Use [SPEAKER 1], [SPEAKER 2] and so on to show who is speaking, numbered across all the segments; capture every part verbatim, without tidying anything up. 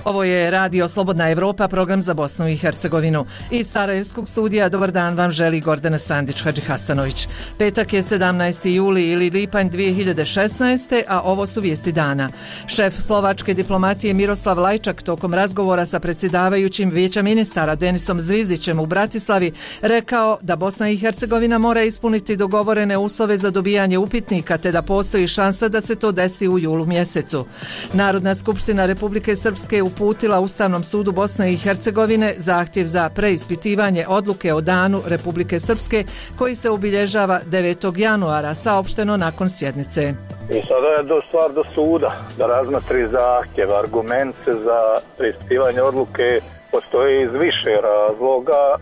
[SPEAKER 1] Ovo je Radio Slobodna Evropa, program za Bosnu i Hercegovinu. Iz Sarajevskog studija dobar dan vam želi Gordana Sandić-Hadžihasanović. Petak je sedamnaesti juli ili lipanj dvije hiljade šesnaeste. a ovo su vijesti dana. Šef slovačke diplomatije Miroslav Lajčak tokom razgovora sa predsjedavajućim Vijeća ministara Denisom Zvizdićem u Bratislavi rekao da Bosna i Hercegovina mora ispuniti dogovorene uslove za dobijanje upitnika te da postoji šansa da se to desi u julu mjesecu. Narodna skupština Republike Srpske uputila Ustavnom sudu Bosne i Hercegovine zahtjev za preispitivanje odluke o danu Republike Srpske koji se obilježava devetog januara, saopšteno nakon sjednice.
[SPEAKER 2] I sada je do stvar do suda da razmotri zahtjev, argument za preispitivanje odluke postoji iz više razloga.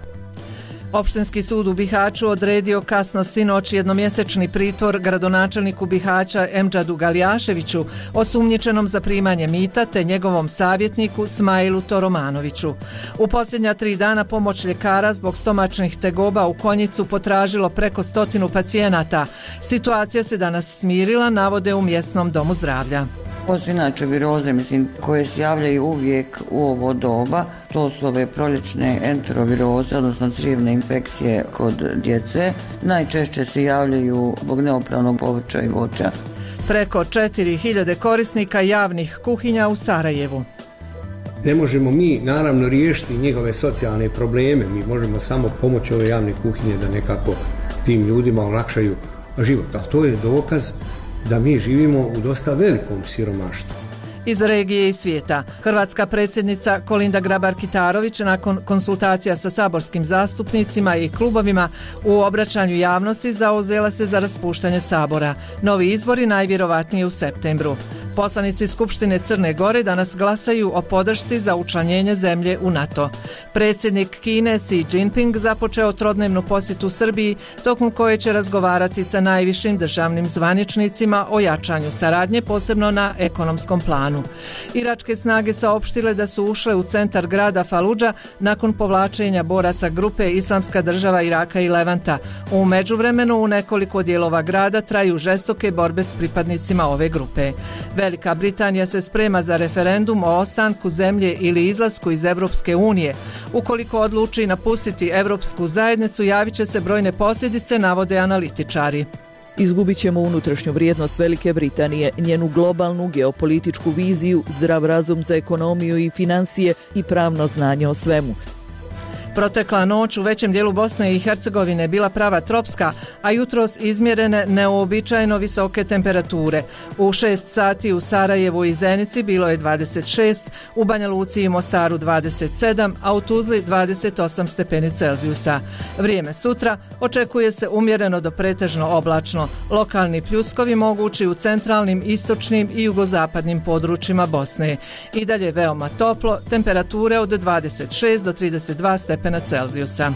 [SPEAKER 1] Opštinski sud u Bihaću odredio kasno sinoć jednomjesečni pritvor gradonačelniku Bihaća Emdžadu Galijaševiću, osumnjičenom za primanje mita, te njegovom savjetniku Smailu Toromanoviću. U posljednja tri dana pomoć ljekara zbog stomačnih tegoba u Konjicu potražilo preko stotinu pacijenata. Situacija se danas smirila, navode u mjesnom domu zdravlja.
[SPEAKER 3] Ovo su inače viroze, mislim, koje se javljaju uvijek u ovo doba. To su ove proljećne enteroviroze, odnosno crijevne infekcije kod djece. Najčešće se javljaju zbog neopranog povrća i voća.
[SPEAKER 1] Preko četiri hiljade korisnika javnih kuhinja u Sarajevu.
[SPEAKER 4] Ne možemo mi naravno riješiti njihove socijalne probleme, mi možemo samo pomoći ove javne kuhinje da nekako tim ljudima olakšaju život. A to je dokaz da mi živimo u dosta velikom siromaštvu.
[SPEAKER 1] Iz regije i svijeta. Hrvatska predsjednica Kolinda Grabar-Kitarović nakon konsultacija sa saborskim zastupnicima i klubovima u obraćanju javnosti zauzela se za raspuštanje Sabora. Novi izbori najvjerovatnije u septembru. Poslanici Skupštine Crne Gore danas glasaju o podršci za učlanjenje zemlje u NATO. Predsjednik Kine Xi Jinping započeo trodnevnu posjetu Srbiji, tokom koje će razgovarati sa najvišim državnim zvaničnicima o jačanju saradnje, posebno na ekonomskom planu. Iračke snage saopštile da su ušle u centar grada Faludža nakon povlačenja boraca grupe Islamska država Iraka i Levanta. U međuvremenu u nekoliko dijelova grada traju žestoke borbe s pripadnicima ove grupe. Velika Britanija se sprema za referendum o ostanku zemlje ili izlasku iz Evropske unije. Ukoliko odluči napustiti Evropsku zajednicu, javit će se brojne posljedice, navode analitičari.
[SPEAKER 5] Izgubit ćemo unutrašnju vrijednost Velike Britanije, njenu globalnu geopolitičku viziju, zdrav razum za ekonomiju i financije i pravno znanje o svemu.
[SPEAKER 1] Protekla noć u većem dijelu Bosne i Hercegovine bila prava tropska, a jutros izmjerene neuobičajeno visoke temperature. U šest sati u Sarajevu i Zenici bilo je dvadeset šest, u Banja Luci i Mostaru dvadeset sedam, a u Tuzli dvadeset osam stepeni Celzijusa. Vrijeme sutra očekuje se umjereno do pretežno oblačno. Lokalni pljuskovi mogući u centralnim, istočnim i jugozapadnim područjima Bosne. I dalje veoma toplo, temperature od dvadeset šest do trideset dva stepena Celzijusa.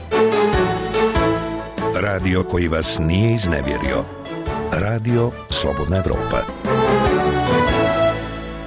[SPEAKER 6] Radio koji vas nije iznevjerio. Radio Slobodna Evropa.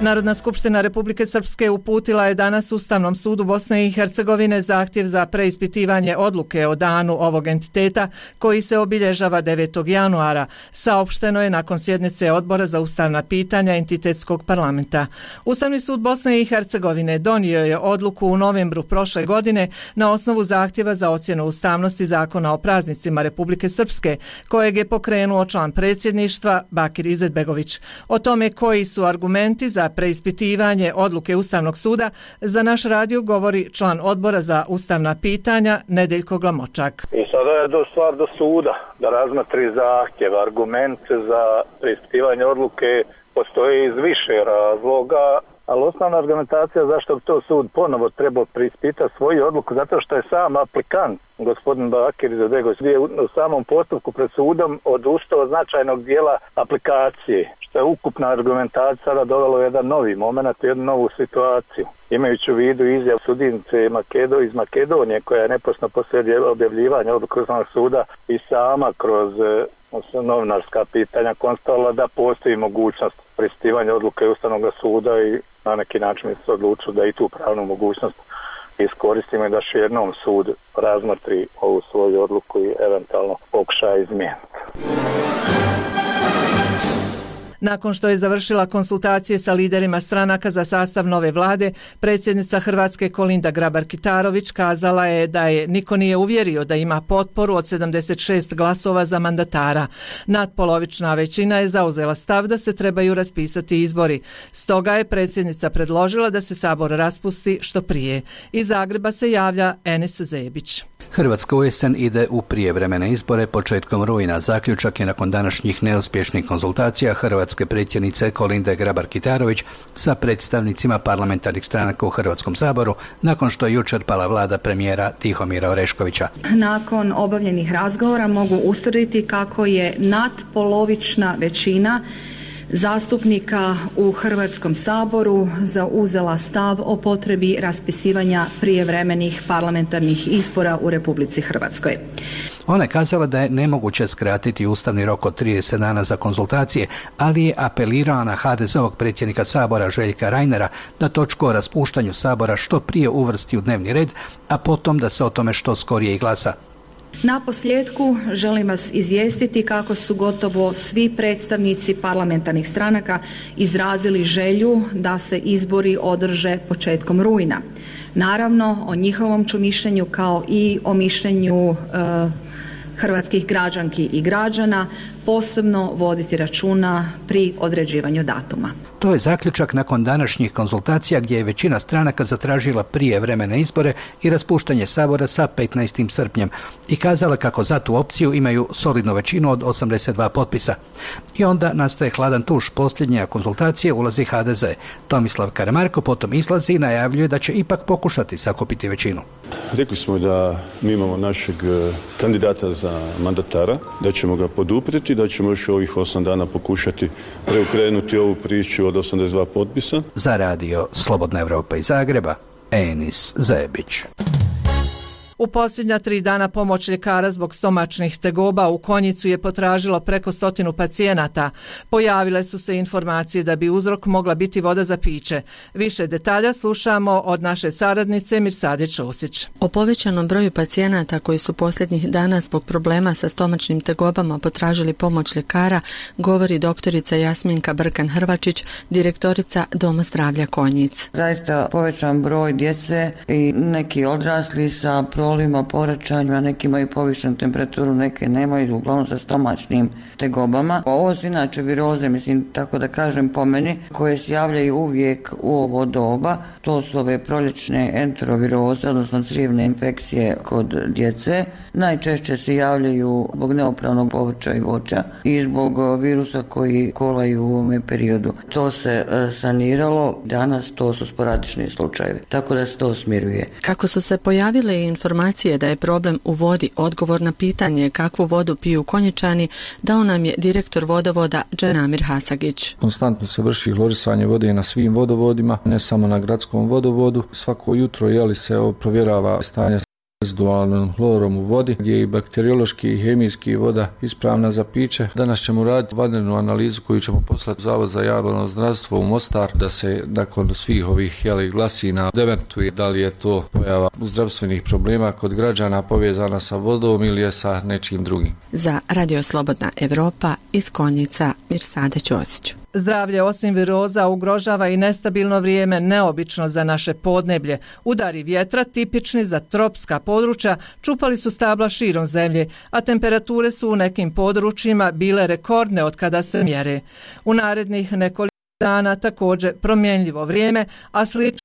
[SPEAKER 1] Narodna skupština Republike Srpske uputila je danas Ustavnom sudu Bosne i Hercegovine zahtjev za preispitivanje odluke o danu ovog entiteta koji se obilježava devetog januara. Saopšteno je nakon sjednice Odbora za ustavna pitanja entitetskog parlamenta. Ustavni sud Bosne i Hercegovine donio je odluku u novembru prošle godine na osnovu zahtjeva za ocjenu ustavnosti Zakona o praznicima Republike Srpske, kojeg je pokrenuo član predsjedništva Bakir Izetbegović. O tome koji su argumenti za preispitivanje odluke Ustavnog suda za naš radio govori član Odbora za ustavna pitanja Nedeljko Glamočak.
[SPEAKER 2] I sada je do stvar do suda da razmotri zahtjev, argument za preispitivanje odluke postoji iz više razloga, ali osnovna argumentacija zašto bi to sud ponovo trebao preispitati svoju odluku, zato što je sam aplikant, gospodin Bakir Izetbegović, u samom postupku pred sudom odustao značajnog dijela aplikacije, što je ukupna argumentacija sada dovelo jedan novi moment, jednu novu situaciju. Imajući u vidu izjav sudinice Makedo iz Makedonije, koja je neposredno poslije objavljivanja odluke Ustavnog suda i sama kroz novinarska pitanja konstatovala da postoji mogućnost preispitivanja odluke Ustavnog suda i na neki način se odlučilo da i tu pravnu mogućnost iskoristimo i da še jednom sud razmotri ovu svoju odluku i eventualno pokuša izmijeniti.
[SPEAKER 1] Nakon što je završila konsultacije sa liderima stranaka za sastav nove vlade, predsjednica Hrvatske Kolinda Grabar-Kitarović kazala je da je niko nije uvjerio da ima potporu od sedamdeset šest glasova za mandatara. Nadpolovična većina je zauzela stav da se trebaju raspisati izbori. Stoga je predsjednica predložila da se Sabor raspusti što prije. Iz Zagreba se javlja Enis Zebić.
[SPEAKER 7] Hrvatska u jesen ide u prijevremene izbore početkom rujna. Zaključak je nakon današnjih neuspješnih konzultacija hrvatske predsjednice Kolinde Grabar-Kitarović sa predstavnicima parlamentarnih stranaka u Hrvatskom saboru nakon što je jučer pala vlada premijera Tihomira Oreškovića.
[SPEAKER 8] Nakon obavljenih razgovora mogu ustvrditi kako je nadpolovična većina zastupnika u Hrvatskom saboru zauzela stav o potrebi raspisivanja prijevremenih parlamentarnih izbora u Republici Hrvatskoj.
[SPEAKER 7] Ona je kazala da je nemoguće skratiti ustavni rok od trideset dana za konzultacije, ali je apelirala na ha de zeovog predsjednika Sabora Željka Reinera da točku o raspuštanju Sabora što prije uvrsti u dnevni red, a potom da se o tome što skorije i glasa.
[SPEAKER 8] Na posljedku želim vas izvijestiti kako su gotovo svi predstavnici parlamentarnih stranaka izrazili želju da se izbori održe početkom rujna. Naravno, o njihovom ću mišljenju kao i o mišljenju e, hrvatskih građanki i građana posebno voditi računa pri određivanju datuma.
[SPEAKER 7] To je zaključak nakon današnjih konzultacija gdje je većina stranaka zatražila prijevremene izbore i raspuštanje Sabora sa petnaestim srpnjem i kazala kako za tu opciju imaju solidnu većinu od osamdeset dva potpisa. I onda nastaje hladan tuš. Posljednje konzultacije ulazi ha de ze. Tomislav Karamarko potom izlazi i najavljuje da će ipak pokušati sakupiti većinu.
[SPEAKER 9] Rekli smo da mi imamo našeg kandidata za mandatara, da ćemo ga poduprijeti, da ćemo još ovih osam dana pokušati preokrenuti ovu priču od osamdeset dva potpisa.
[SPEAKER 7] Za radio Slobodna Evropa iz Zagreba, Enis Zebić.
[SPEAKER 1] U posljednja tri dana pomoć ljekara zbog stomačnih tegoba u Konjicu je potražilo preko stotinu pacijenata. Pojavile su se informacije da bi uzrok mogla biti voda za piće. Više detalja slušamo od naše saradnice Mirsade Čosić.
[SPEAKER 10] O povećanom broju pacijenata koji su posljednjih dana zbog problema sa stomačnim tegobama potražili pomoć ljekara govori doktorica Jasminka Brkan-Hrvačić, direktorica Doma zdravlja Konjic.
[SPEAKER 3] Zaista povećan broj djece i neki odrasli sa prolima, porećanjima, neki imaju povišenu temperaturu, neke nemaju, uglavnom sa stomačnim tegobama. Ovo su inače viroze, mislim, tako da kažem po meni, koje se javljaju uvijek u ovo doba. To su ove proljećne enteroviroze, odnosno crijevne infekcije kod djece. Najčešće se javljaju zbog neopravnog povrća i voća i zbog virusa koji kolaju u ovome periodu. To se saniralo, danas to su sporadični slučajevi, tako da se to smiruje.
[SPEAKER 10] Kako su se pojavile informacije da je problem u vodi, odgovor na pitanje kakvu vodu piju Konjičani dao nam je direktor vodovoda Dženamir Hasagić.
[SPEAKER 11] Konstantno se vrši hlorisanje vode na svim vodovodima, ne samo na gradskom vodovodu. Svako jutro jeli se provjerava stanje rezidualnom hlorom u vodi, gdje je i bakteriološki i hemijski voda ispravna za piće. Danas ćemo raditi vanrednu analizu koju ćemo poslati u Zavod za javno zdravstvo u Mostar, da se nakon svih ovih jeli, glasina dementuje da li je to pojava zdravstvenih problema kod građana povezana sa vodom ili je sa nečim drugim.
[SPEAKER 10] Za Radio Slobodna Evropa iz Konjica, Mirsade Ćosić.
[SPEAKER 1] Zdravlje osim viroza ugrožava i nestabilno vrijeme, neobično za naše podneblje. Udari vjetra tipični za tropska područja čupali su stabla širom zemlje, a temperature su u nekim područjima bile rekordne od kada se mjere. U narednih nekoliko dana također promjenljivo vrijeme, a slično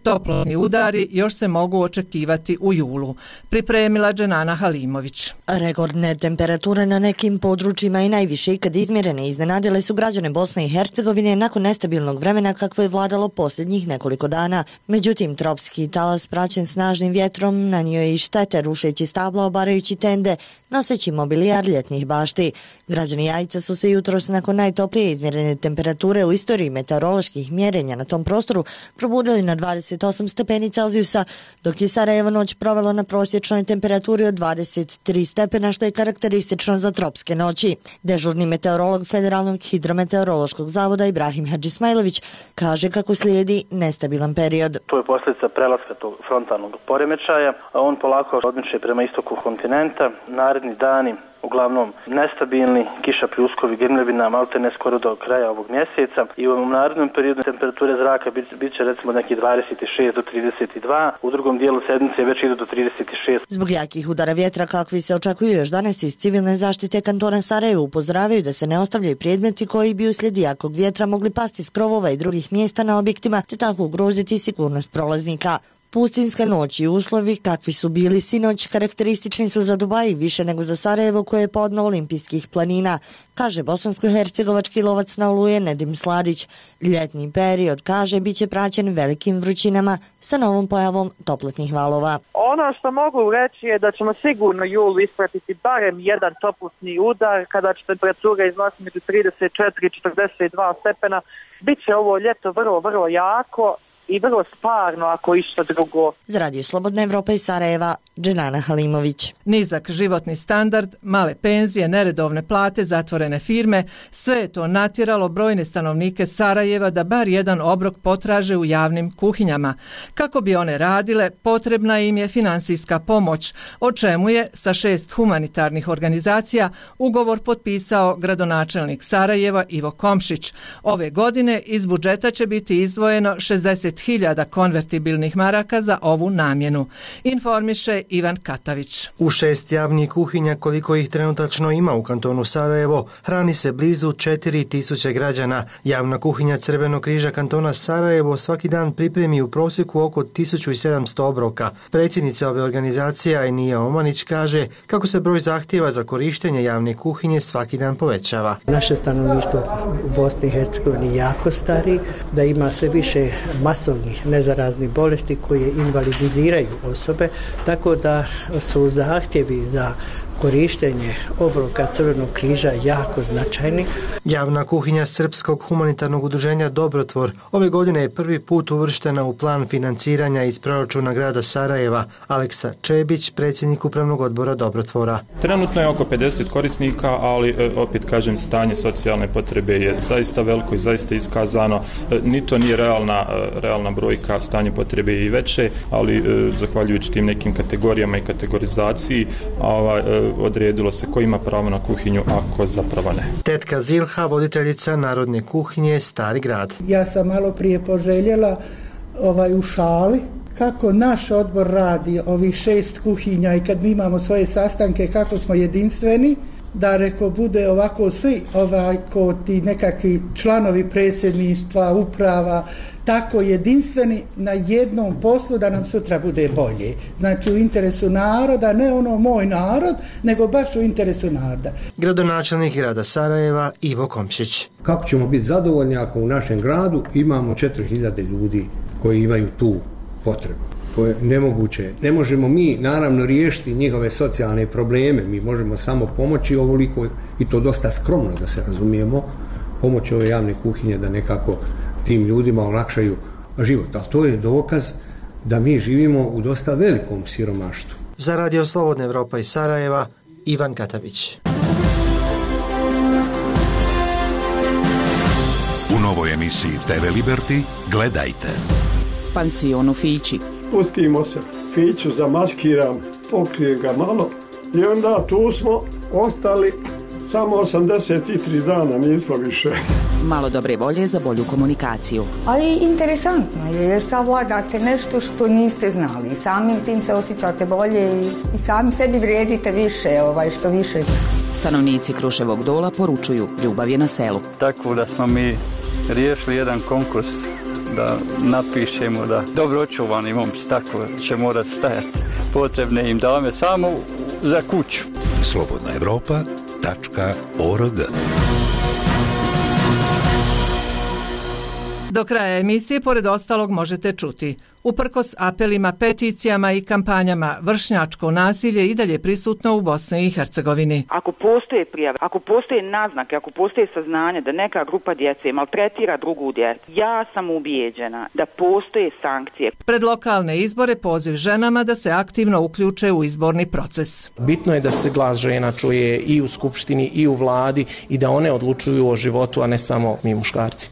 [SPEAKER 1] toplotni udari još se mogu očekivati u julu. Pripremila Dženana Halimović.
[SPEAKER 12] Rekordne temperature na nekim područjima i najviše ikad izmjerene iznenadile su građane Bosne i Hercegovine nakon nestabilnog vremena kakvo je vladalo posljednjih nekoliko dana. Međutim, tropski talas praćen snažnim vjetrom nanio je i štete rušeći stabla, obarajući tende, noseći mobilijar ljetnih bašti. Građani Jajca su se jutros nakon najtoplije izmjerene temperature u istoriji meteoroloških mjerenja na tom prostoru probudili na dvadeset osam stepeni Celzijusa, dok je Sarajevo noć provelo na prosječnoj temperaturi od dvadeset tri stepena, što je karakteristično za tropske noći. Dežurni meteorolog Federalnog hidrometeorološkog zavoda Ibrahim Hadžismajlović kaže kako slijedi nestabilan period.
[SPEAKER 13] To je posljedica prelaska tog frontalnog poremećaja, a on polako odmiče prema istoku kontinenta. Naredni dani uglavnom nestabilni, kiša pljuskovi, grmljavina, maltene skoro do kraja ovog mjeseca i u narednom periodu temperature zraka bit, bit će recimo neki dvadeset šest do trideset dva, u drugom dijelu sedmice već idu do trideset šest.
[SPEAKER 12] Zbog jakih udara vjetra kakvi se očekuju još danas iz civilne zaštite kantona Sarajevo upozoravaju da se ne ostavljaju predmeti koji bi uslijed jakog vjetra mogli pasti s krovova i drugih mjesta na objektima te tako ugroziti sigurnost prolaznika. Pustinska noć i uslovi kakvi su bili sinoć karakteristični su za Dubaj više nego za Sarajevo koje je podno olimpijskih planina, kaže bosansko-hercegovački lovac na oluje Nedim Sladić. Ljetni period, kaže, bit će praćen velikim vrućinama sa novom pojavom toplotnih valova.
[SPEAKER 14] Ono što mogu reći je da ćemo sigurno julu ispratiti barem jedan toplotni udar kada će temperatura iznositi među trideset četiri i četrdeset dva stepena. Biće ovo ljeto vrlo, vrlo jako i vrlo sparno ako išta drugo.
[SPEAKER 12] Za Radio Slobodna Evropa iz Sarajeva, Dženana Halimović.
[SPEAKER 1] Nizak životni standard, male penzije, neredovne plate, zatvorene firme, sve je to natjeralo brojne stanovnike Sarajeva da bar jedan obrok potraže u javnim kuhinjama. Kako bi one radile, potrebna im je finansijska pomoć, o čemu je sa šest humanitarnih organizacija ugovor potpisao gradonačelnik Sarajeva Ivo Komšić. Ove godine iz budžeta će biti izdvojeno šezdeset hiljada konvertibilnih maraka za ovu namjenu, informiše Ivan Katavić.
[SPEAKER 15] U šest javnih kuhinja, koliko ih trenutačno ima u kantonu Sarajevo, hrani se blizu četiri tisuće građana. Javna kuhinja Crvenog križa kantona Sarajevo svaki dan pripremi u prosjeku oko tisuću sedamsto obroka. Predsjednica ove organizacije Ajnija Omanić kaže kako se broj zahtjeva za korištenje javne kuhinje svaki dan povećava.
[SPEAKER 16] Naše stanovništvo u Bosni i Hercegovini jako stari, da ima sve više masovnih nezaraznih bolesti koje invalidiziraju osobe, tako da su zahtjevi za korištenje obroka Crvenog križa jako značajni.
[SPEAKER 15] Javna kuhinja Srpskog humanitarnog udruženja Dobrotvor ove godine je prvi put uvrštena u plan financiranja iz proračuna grada Sarajeva. Aleksa Čebić, predsjednik upravnog odbora Dobrotvora.
[SPEAKER 17] Trenutno je oko pedeset korisnika, ali opet kažem, stanje socijalne potrebe je zaista veliko i zaista iskazano. Ni to nije realna, realna brojka, stanje potrebe je i veće, ali zahvaljujući tim nekim kategorijama i kategorizaciji ovaj, odredilo se ko ima pravo na kuhinju, a ko zapravo ne.
[SPEAKER 15] Tetka Zilha, voditeljica Narodne kuhinje Stari grad.
[SPEAKER 18] Ja sam malo prije poželjela ovaj, u šali kako naš odbor radi ovih šest kuhinja i kad mi imamo svoje sastanke kako smo jedinstveni, da reko bude ovako svi ovako ti nekakvi članovi predsjedništva, uprava, tako jedinstveni na jednom poslu da nam sutra bude bolje. Znači u interesu naroda, ne ono moj narod, nego baš u interesu naroda.
[SPEAKER 15] Gradonačelnik grada Sarajeva Ivo Komšić.
[SPEAKER 4] Kako ćemo biti zadovoljni ako u našem gradu imamo četiri hiljade ljudi koji imaju tu potrebu? To je nemoguće. Ne možemo mi naravno riješiti njihove socijalne probleme, mi možemo samo pomoći ovoliko i to dosta skromno da se razumijemo, pomoći ove javne kuhinje da nekako tim ljudima olakšaju život. A to je dokaz da mi živimo u dosta velikom siromaštvu.
[SPEAKER 15] Za Radio Slobodna Evropa iz Sarajeva, Ivan Katavić.
[SPEAKER 6] U novoj emisiji te ve Liberty gledajte.
[SPEAKER 19] Pansion u Fići.
[SPEAKER 20] Pustimo se, Fiću zamaskiram, pokrijem ga malo i onda tu smo ostali samo osamdeset tri dana, nismo više.
[SPEAKER 19] Malo dobre volje za bolju komunikaciju.
[SPEAKER 21] Ali interesantno je jer savladate nešto što niste znali i samim tim se osjećate bolje i, i sami sebi vrijedite više, ovaj, što više.
[SPEAKER 19] Stanovnici Kruševog Dola poručuju ljubav je na selu.
[SPEAKER 22] Tako da smo mi riješili jedan konkurs da napišemo da dobro očuvani momci, tako će morati stajati. Potrebne im dame samo za kuću.
[SPEAKER 6] slobodna evropa tačka org.
[SPEAKER 1] Do kraja emisije, pored ostalog, možete čuti: uprkos apelima, peticijama i kampanjama, vršnjačko nasilje i dalje prisutno u Bosni i Hercegovini.
[SPEAKER 23] Ako postoje prijave, ako postoje naznake, ako postoje saznanje da neka grupa djece maltretira drugu djecu, ja sam ubijeđena da postoje sankcije.
[SPEAKER 1] Pred lokalne izbore poziv ženama da se aktivno uključe u izborni proces.
[SPEAKER 24] Bitno je da se glas žena čuje i u skupštini i u vladi i da one odlučuju o životu, a ne samo mi muškarci.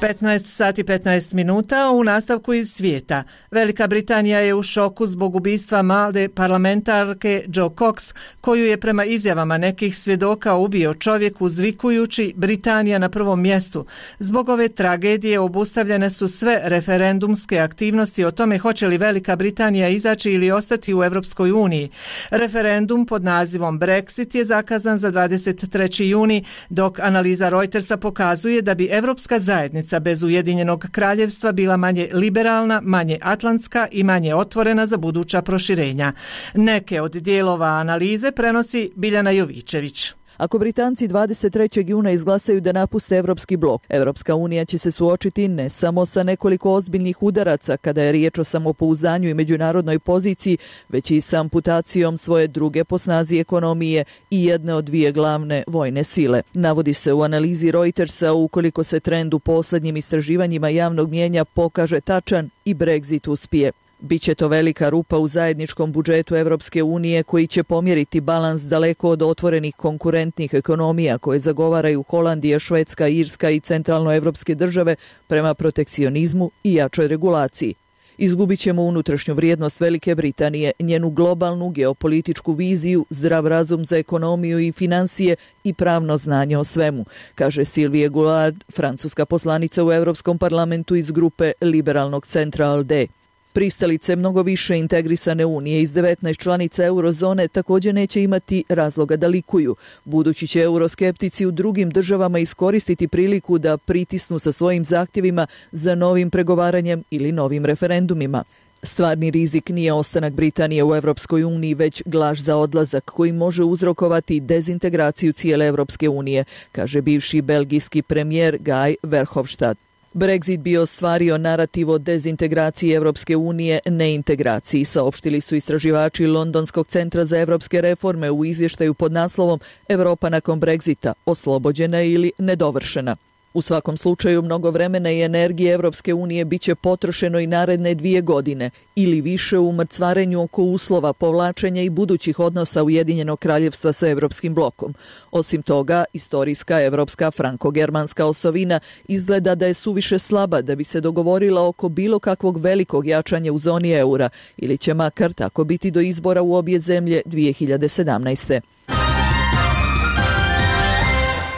[SPEAKER 1] petnaest sati petnaest minuta u nastavku iz svijeta. Velika Britanija je u šoku zbog ubistva mlade parlamentarke Jo Cox, koju je prema izjavama nekih svjedoka ubio čovjek uzvikujući Britanija na prvom mjestu. Zbog ove tragedije obustavljene su sve referendumske aktivnosti o tome hoće li Velika Britanija izaći ili ostati u Europskoj uniji. Referendum pod nazivom Brexit je zakazan za dvadeset treći juni, dok analiza Reutersa pokazuje da bi Europska zajednica bez Ujedinjenog kraljevstva bila manje liberalna, manje atlantska i manje otvorena za buduća proširenja. Neke od dijelova analize prenosi Biljana Jovičević.
[SPEAKER 2] Ako Britanci dvadeset trećeg juna izglasaju da napuste Evropski blok, Evropska unija će se suočiti ne samo sa nekoliko ozbiljnih udaraca kada je riječ o samopouzdanju i međunarodnoj poziciji, već i sa amputacijom svoje druge po snazi ekonomije i jedne od dvije glavne vojne sile. Navodi se u analizi Reutersa ukoliko se trend u posljednjim istraživanjima javnog mijenja pokaže tačan i Brexit uspije. Biće to velika rupa u zajedničkom budžetu Evropske unije koji će pomjeriti balans daleko od otvorenih konkurentnih ekonomija koje zagovaraju Holandija, Švedska, Irska i centralnoevropske države prema protekcionizmu i jačoj regulaciji. Izgubit ćemo unutrašnju vrijednost Velike Britanije, njenu globalnu geopolitičku viziju, zdrav razum za ekonomiju i financije i pravno znanje o svemu, kaže Sylvie Goulard, francuska poslanica u Europskom parlamentu iz grupe liberalnog centra A L D E. Pristalice mnogo više integrisane unije iz devetnaest članica eurozone također neće imati razloga da likuju, budući će euroskeptici u drugim državama iskoristiti priliku da pritisnu sa svojim zahtjevima za novim pregovaranjem ili novim referendumima. Stvarni rizik nije ostanak Britanije u Europskoj uniji, već glaž za odlazak koji može uzrokovati dezintegraciju cijele Europske unije, kaže bivši belgijski premijer Guy Verhofstadt. Brexit bi ostvario narativ o dezintegraciji Evropske unije, neintegraciji, saopštili su istraživači Londonskog centra za evropske reforme u izvještaju pod naslovom Europa nakon Brexita, oslobođena ili nedovršena. U svakom slučaju mnogo vremena i energije Evropske unije bit će potrošeno i naredne dvije godine ili više u mrcvarenju oko uslova povlačenja i budućih odnosa Ujedinjenog kraljevstva sa Evropskim blokom. Osim toga, istorijska evropska franko-germanska osovina izgleda da je suviše slaba da bi se dogovorila oko bilo kakvog velikog jačanja u zoni eura ili će makar tako biti do izbora u obje zemlje dvije hiljade sedamnaeste.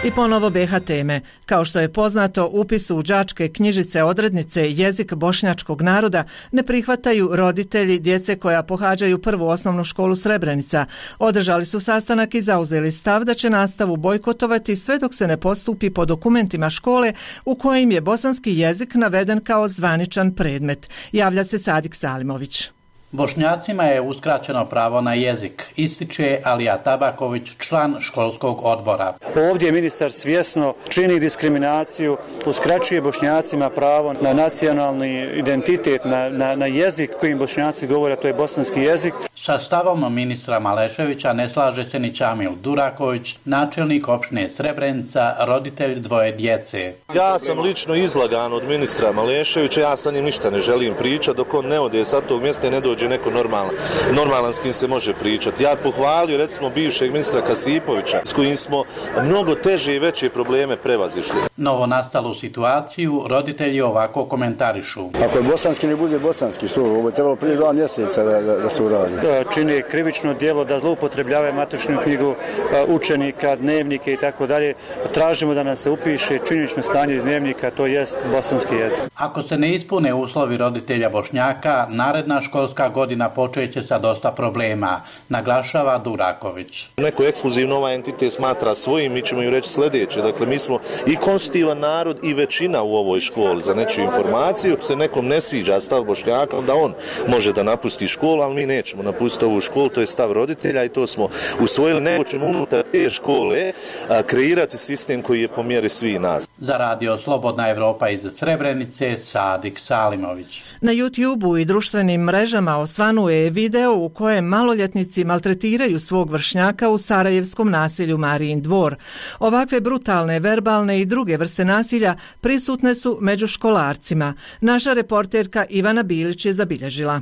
[SPEAKER 1] I ponovo B H teme. Kao što je poznato, upis u đačke knjižice odrednice jezik bošnjačkog naroda ne prihvataju roditelji djece koja pohađaju prvu osnovnu školu Srebrenica. Održali su sastanak i zauzeli stav da će nastavu bojkotovati sve dok se ne postupi po dokumentima škole u kojim je bosanski jezik naveden kao zvaničan predmet. Javlja se Sadik Salimović.
[SPEAKER 5] Bošnjacima je uskraćeno pravo na jezik, ističe Alija Tabaković, član školskog odbora.
[SPEAKER 8] Ovdje ministar svjesno čini diskriminaciju, uskraćuje Bošnjacima pravo na nacionalni identitet, na, na, na jezik kojim Bošnjaci govore, to je bosanski jezik.
[SPEAKER 5] Sa stavom ministra Maleševića ne slaže se ni Čamil Duraković, načelnik opštine Srebrenica, roditelj dvoje djece.
[SPEAKER 9] Ja sam lično izlagan od ministra Maleševića, ja sa njim ništa ne želim pričati, dok on ne ode sa tog mjesta i ne dođe neko normalan, normalan s kim se može pričati. Ja pohvalio recimo bivšeg ministra Kasipovića s kojim smo mnogo teže i veće probleme prevazišli.
[SPEAKER 5] Novo nastalu situaciju roditelji ovako komentarišu.
[SPEAKER 25] Ako je bosanski ne bude bosanski, što ovo je trebalo prije dva mjeseca da, da, da se uradi.
[SPEAKER 8] Čini krivično djelo da zloupotrebljavaju matičnu knjigu učenika, dnevnike i tako dalje. Tražimo da nam se upiše činjenično stanje iz dnevnika, to jest bosanski jezik.
[SPEAKER 5] Ako se ne ispune uslovi roditelja Bošnjaka, naredna školska godina počeće sa dosta problema, naglašava Duraković.
[SPEAKER 9] Neko ekskluzivno ovaj entitet smatra svojim, mi ćemo im reći sljedeće. Dakle, mi smo i konstitutivan narod i većina u ovoj školi. Za nečiju informaciju se nekom ne sviđa stav Bošnjaka, onda on može da napusti školu, ali mi nećemo napustiti ovu školu, to je stav roditelja i to smo usvojili. Nego ćemo unutar te škole a, kreirati sistem koji je po mjeri svih nas.
[SPEAKER 5] Za radio Slobodna Evropa iz Srebrenice, Sadik Salimović.
[SPEAKER 1] Na YouTubeu i društvenim mrežama osvanuje video u kojem maloljetnici maltretiraju svog vršnjaka u sarajevskom naselju Marijin dvor. Ovakve brutalne, verbalne i druge vrste nasilja prisutne su među školarcima. Naša reporterka Ivana Bilić je zabilježila.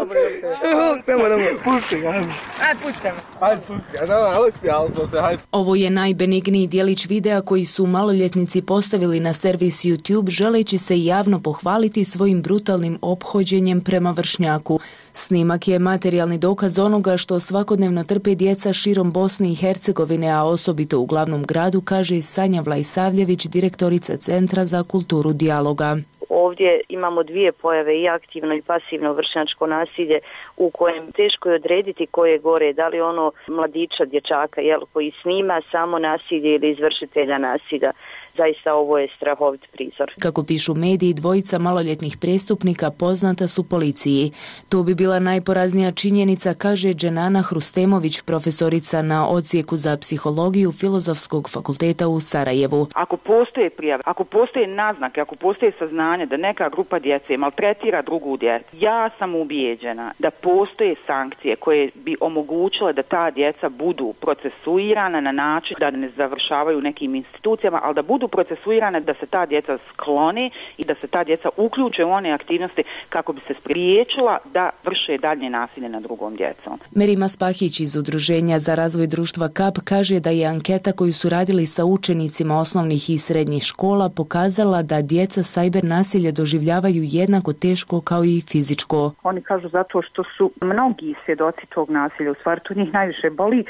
[SPEAKER 3] Čuk, nemoj, nemoj. Pusti ga. Aj, pusti me. Aj, pusti ga. No, uspjeli smo se, hajde.
[SPEAKER 7] Ovo je najbenigniji dijelić videa koji su maloljetnici postavili na servis YouTube želeći se javno pohvaliti svojim brutalnim ophođenjem prema vršnjaku. Snimak je materijalni dokaz onoga što svakodnevno trpe djeca širom Bosne i Hercegovine, a osobito u glavnom gradu, kaže Sanja Vlajsavljević, direktorica Centra za kulturu dijaloga.
[SPEAKER 10] Ovdje imamo dvije pojave, i aktivno i pasivno vršnjačko nasilje, u kojem teško je odrediti koje je gore, da li ono mladića, dječaka, jel, koji snima samo nasilje ili izvršitelja nasilja. Zaista ovo je strahovit prizor.
[SPEAKER 7] Kako pišu mediji, dvojica maloljetnih prestupnika poznata su policiji. To bi bila najporaznija činjenica, kaže Dženana Hrustemović, profesorica na odsjeku za psihologiju Filozofskog fakulteta u Sarajevu.
[SPEAKER 23] Ako postoje prijave, ako postoje naznake, ako postoje saznanje da neka grupa djece maltretira drugu djecu, ja sam ubijeđena da postoje sankcije koje bi omogućile da ta djeca budu procesuirana na način da ne završavaju nekim institucijama, ali da budu procesuirane, da se ta djeca sklone i da se ta djeca uključe u one aktivnosti kako bi se spriječila da vrše dalje nasilje nad drugom djecom.
[SPEAKER 7] Merima Spahić iz Udruženja za razvoj društva Kap kaže da je anketa koju su radili sa učenicima osnovnih i srednjih škola pokazala da djeca sajber nasilje doživljavaju jednako teško kao i fizičko.
[SPEAKER 23] Oni kažu zato što su mnogi svjedoci tog nasilja, u stvari to njih najviše boli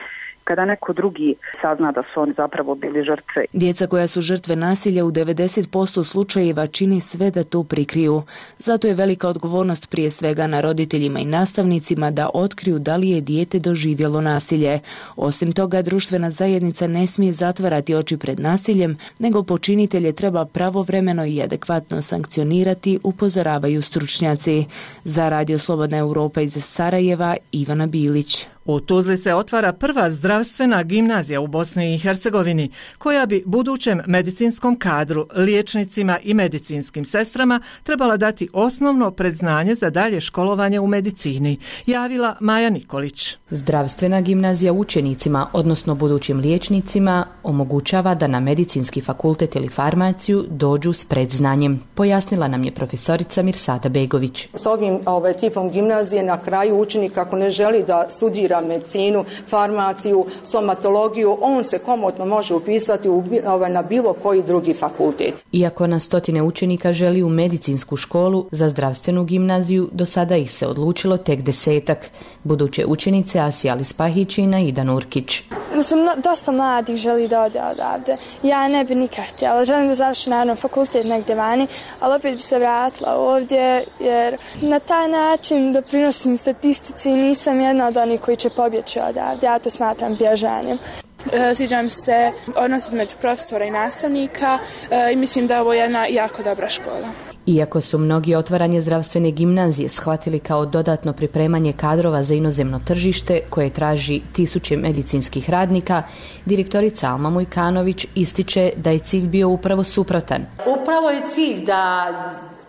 [SPEAKER 23] kada neko drugi sazna da su oni zapravo bili žrtve.
[SPEAKER 7] Djeca koja su žrtve nasilja u devedeset posto slučajeva čini sve da to prikriju. Zato je velika odgovornost prije svega na roditeljima i nastavnicima da otkriju da li je dijete doživjelo nasilje. Osim toga, društvena zajednica ne smije zatvarati oči pred nasiljem, nego počinitelje treba pravovremeno i adekvatno sankcionirati, upozoravaju stručnjaci. Za Radio Slobodna Europa iz Sarajeva, Ivana Bilić.
[SPEAKER 1] U Tuzli se otvara prva zdravstvena gimnazija u Bosni i Hercegovini, koja bi budućem medicinskom kadru, liječnicima i medicinskim sestrama trebala dati osnovno predznanje za dalje školovanje u medicini, javila Maja Nikolić.
[SPEAKER 11] Zdravstvena gimnazija učenicima, odnosno budućim liječnicima, omogućava da na medicinski fakultet ili farmaciju dođu s predznanjem, pojasnila nam je profesorica Mirsada Begović.
[SPEAKER 13] S ovim ovaj, tipom gimnazije na kraju učenik ako ne želi da studira medicinu, farmaciju, stomatologiju, on se komotno može upisati u, ovaj, na bilo koji drugi fakultet.
[SPEAKER 11] Iako na stotine učenika želi u medicinsku školu, za zdravstvenu gimnaziju do sada ih se odlučilo tek desetak. Buduće učenice Asija Lispahić i Naida Nurkić.
[SPEAKER 26] Mislim, dosta mladih želi da ode odavde. Ja ne bi nikad htjela. Želim da završim naravno fakultet negdje vani, ali opet bi se vratila ovdje jer na taj način doprinosim statistici i nisam jedna od onih koji će pobjeći odavde. Ja to smatram bježanjem.
[SPEAKER 27] Sviđa mi se odnos između profesora i nastavnika i mislim da je ovo jedna jako dobra škola.
[SPEAKER 11] Iako su mnogi otvaranje zdravstvene gimnazije shvatili kao dodatno pripremanje kadrova za inozemno tržište koje traži tisuće medicinskih radnika, direktorica Alma Mujkanović ističe da je cilj bio upravo suprotan.
[SPEAKER 28] Upravo je cilj da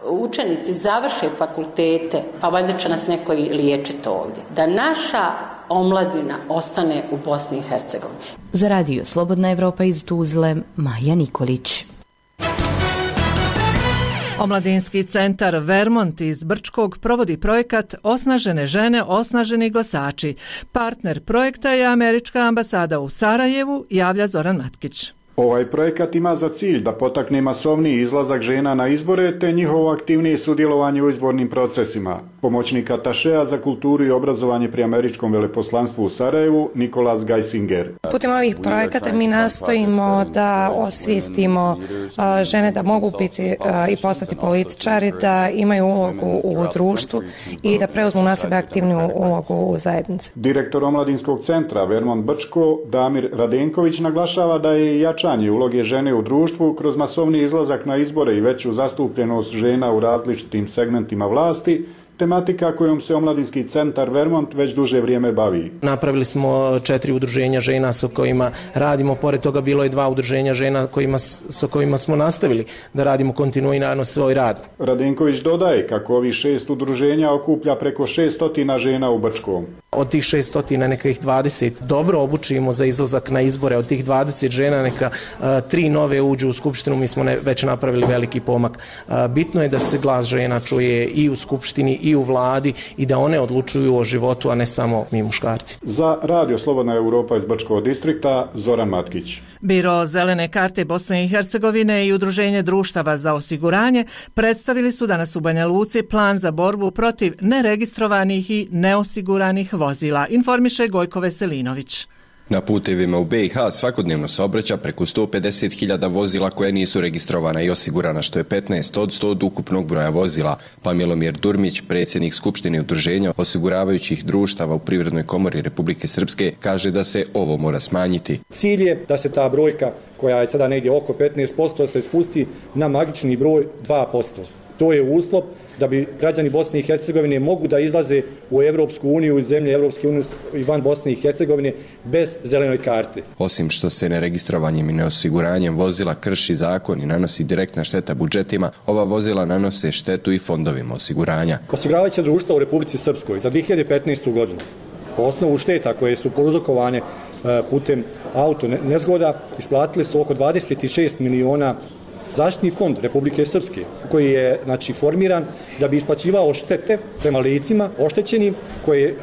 [SPEAKER 28] učenici završe fakultete, pa valjda će nas neko i liječiti ovdje. Da naša omladina ostane u Bosni i Hercegovini.
[SPEAKER 11] Za Radio Slobodna Evropa iz Tuzle, Maja Nikolić.
[SPEAKER 1] Omladinski centar Vermont iz Brčkog provodi projekat Osnažene žene, osnaženi glasači. Partner projekta je Američka ambasada u Sarajevu, javlja Zoran Matkić.
[SPEAKER 29] Ovaj projekat ima za cilj da potakne masovniji izlazak žena na izbore te njihovo aktivnije sudjelovanje u izbornim procesima. Pomoćnik atašea za kulturu i obrazovanje pri Američkom veleposlanstvu u Sarajevu, Nikolas Geisinger.
[SPEAKER 30] Putem ovih projekata mi nastojimo da osvijestimo žene da mogu biti i postati političari, da imaju ulogu u društvu i da preuzmu na sebe aktivnu ulogu u zajednici.
[SPEAKER 29] Direktor Omladinskog centra Vermont Brčko, Damir Radenković, naglašava da je jačanje uloge žene u društvu kroz masovni izlazak na izbore i veću zastupljenost žena u različitim segmentima vlasti tematika kojom se Omladinski centar Vermont već duže vrijeme bavi.
[SPEAKER 24] Napravili smo četiri udruženja žena sa kojima radimo, pored toga bilo je dva udruženja žena kojima, sa kojima smo nastavili da radimo kontinuirano svoj rad.
[SPEAKER 29] Radenković dodaje kako ovih šest udruženja okuplja preko šeststotina žena u Brčkom.
[SPEAKER 24] Od tih šeststotina neka ih dvadeset dobro obučimo za izlazak na izbore, od tih dvadeset žena neka a, tri nove uđu u skupštinu, mi smo ne, već napravili veliki pomak. A, bitno je da se glas žena čuje i u skupštini i u vladi i da one odlučuju o životu, a ne samo mi muškarci.
[SPEAKER 29] Za Radio Slobodna Europa iz Brčkog distrikta, Zoran Matkić.
[SPEAKER 1] Biro Zelene karte Bosne i Hercegovine i Udruženje društava za osiguranje predstavili su danas u Banja Luci plan za borbu protiv neregistrovanih i neosiguranih vozila, informiše Gojko Veselinović.
[SPEAKER 4] Na putevima u be i ha svakodnevno se obraća preko sto pedeset hiljada vozila koja nisu registrovana i osigurana, što je petnaest posto od ukupnog broja vozila, pa Milomir Durmić, predsjednik Skupštine udruženja osiguravajućih društava u Privrednoj komori Republike Srpske, kaže da se ovo mora smanjiti.
[SPEAKER 12] Cilj je da se ta brojka, koja je sada negdje oko petnaest posto, se spusti na magični broj dva posto. To je uslov da bi građani Bosne i Hercegovine mogu da izlaze u Evropsku uniju i zemlje Evropske unije i van Bosne i Hercegovine bez zelenoj karte.
[SPEAKER 4] Osim što se neregistrovanjem i neosiguranjem vozila krši zakon i nanosi direktna šteta budžetima, ova vozila nanose štetu i fondovima osiguranja.
[SPEAKER 12] Osiguravajuća društva u Republici Srpskoj za dvije hiljade petnaestu. godinu po osnovu šteta koje su prouzrokovane putem auto nezgoda isplatili su oko dvadeset šest miliona. Zaštitni fond Republike Srpske, koji je znači formiran da bi isplaćivao štete prema licima oštećenim koje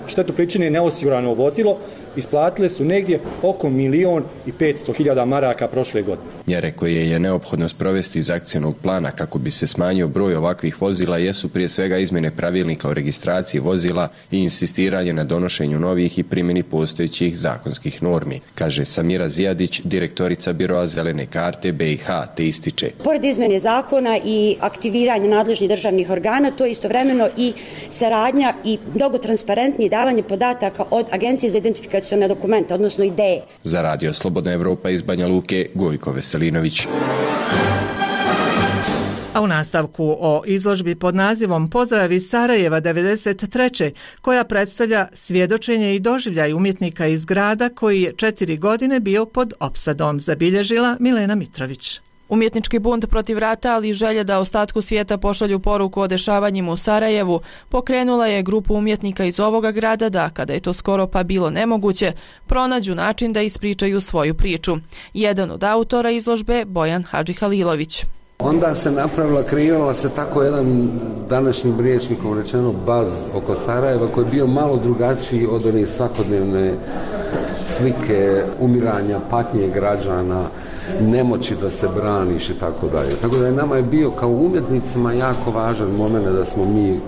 [SPEAKER 12] štetu pričine neosigurano vozilo, isplatile su negdje oko milion i petsto hiljada maraka prošle godine.
[SPEAKER 4] Mjere koje je neophodno sprovesti iz akcijnog plana kako bi se smanjio broj ovakvih vozila jesu prije svega izmjene pravilnika o registraciji vozila i insistiranje na donošenju novih i primjeni postojećih zakonskih normi, kaže Samira Zijadić, direktorica Biroa Zelene karte be i ha, te ističe.
[SPEAKER 14] Pored izmjene zakona i aktiviranja nadležnih državnih organa, to je istovremeno i saradnja i mnogo transparentnije davanje podataka od Agencije za identifikaciju na dokumenta, odnosno ideje.
[SPEAKER 4] Za Radio Slobodna Evropa iz Banja Luke, Gojko Veselinović.
[SPEAKER 1] A u nastavku o izložbi pod nazivom Pozdrav iz Sarajeva devedeset treće koja predstavlja svjedočenje i doživljaj umjetnika iz grada koji je četiri godine bio pod opsadom, zabilježila Milena Mitrović.
[SPEAKER 15] Umjetnički bunt protiv rata, ali i želje da ostatku svijeta pošalju poruku o dešavanjima u Sarajevu, pokrenula je grupu umjetnika iz ovoga grada da, kada je to skoro pa bilo nemoguće, pronađu način da ispričaju svoju priču. Jedan od autora izložbe, Bojan Hadžihalilović.
[SPEAKER 16] Onda se napravila, kreirala se tako jedan današnjim riječnikom rečeno baz oko Sarajeva koji je bio malo drugačiji od one svakodnevne slike umiranja, patnje građana, nemoći da se braniš i tako dalje. Tako da je nama je bio kao umjetnicima jako važan moment da smo mi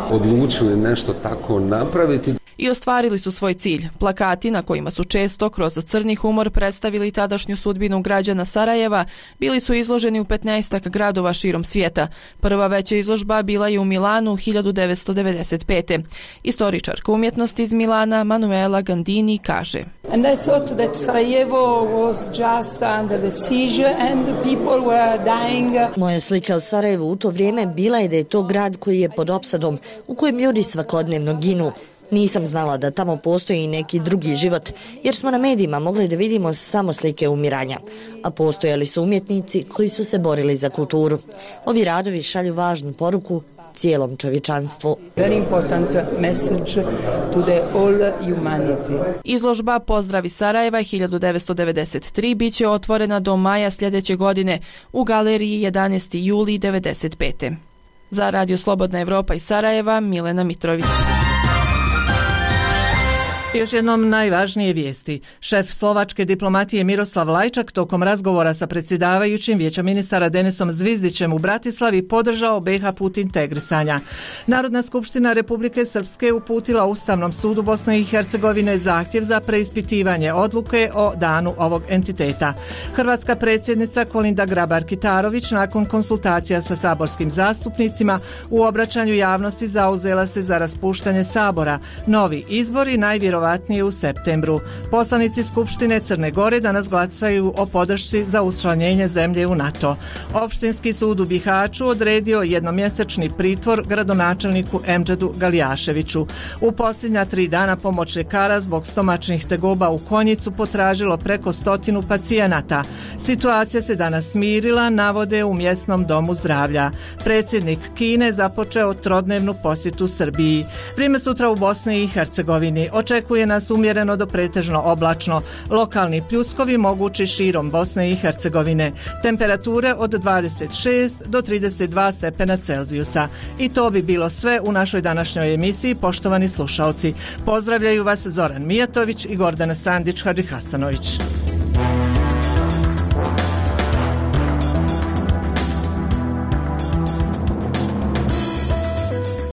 [SPEAKER 16] odlučili nešto tako napraviti.
[SPEAKER 15] I ostvarili su svoj cilj. Plakati na kojima su često kroz crni humor predstavili tadašnju sudbinu građana Sarajeva bili su izloženi u petnaestak gradova širom svijeta. Prva veća izložba bila je u Milanu hiljadu devetsto devedeset pete. Istoričarka umjetnosti iz Milana Manuela Gandini kaže:
[SPEAKER 17] And I thought that Sarajevo was just under the siege and the people were dying.
[SPEAKER 18] Moja slika o Sarajevu u to vrijeme bila je da je to grad koji je pod opsadom, u kojem ljudi svakodnevno ginu. Nisam znala da tamo postoji neki drugi život, jer smo na medijima mogli da vidimo samo slike umiranja, a postojali su umjetnici koji su se borili za kulturu. Ovi radovi šalju važnu poruku cijelom čovječanstvu.
[SPEAKER 17] Very important message to the all humanity.
[SPEAKER 15] Izložba Pozdrav iz Sarajeva hiljadu devetsto devedeset tri biće otvorena do maja sljedeće godine u galeriji jedanaesti juli devedeset pete. Za Radio Slobodna Evropa iz Sarajeva, Milena Mitrović.
[SPEAKER 1] Još jednom najvažnije vijesti. Šef slovačke diplomatije Miroslav Lajčak tokom razgovora sa predsjedavajućim Vijeća ministara Denisom Zvizdićem u Bratislavi podržao be i ha put integrisanja. Narodna skupština Republike Srpske uputila Ustavnom sudu Bosne i Hercegovine zahtjev za preispitivanje odluke o danu ovog entiteta. Hrvatska predsjednica Kolinda Grabar-Kitarović nakon konsultacija sa saborskim zastupnicima u obraćanju javnosti zauzela se za raspuštanje Sabora. Novi izbori najvjerovatnije u septembru. Poslanici Skupštine Crne Gore danas glasaju o podršci za učlanjenje zemlje u NATO. Opštinski sud u Bihaću odredio jednomjesečni pritvor gradonačelniku Emdžedu Galijaševiću. U posljednja tri dana pomoć ljekara zbog stomačnih tegoba u Konjicu potražilo preko stotinu pacijenata. Situacija se danas smirila, navode u mjesnom domu zdravlja. Predsjednik Kine započeo trodnevnu posjetu Srbiji. Vrijeme sutra u Bosni i Hercegovini. Očekuje očekuje nas umjereno do pretežno oblačno. Lokalni pljuskovi mogući širom Bosne i Hercegovine. Temperature od dvadeset šest do trideset dva stepena Celzijusa. I to bi bilo sve u našoj današnjoj emisiji, poštovani slušalci. Pozdravljaju vas Zoran Mijatović i Gordana Sandić-Hadžihasanović.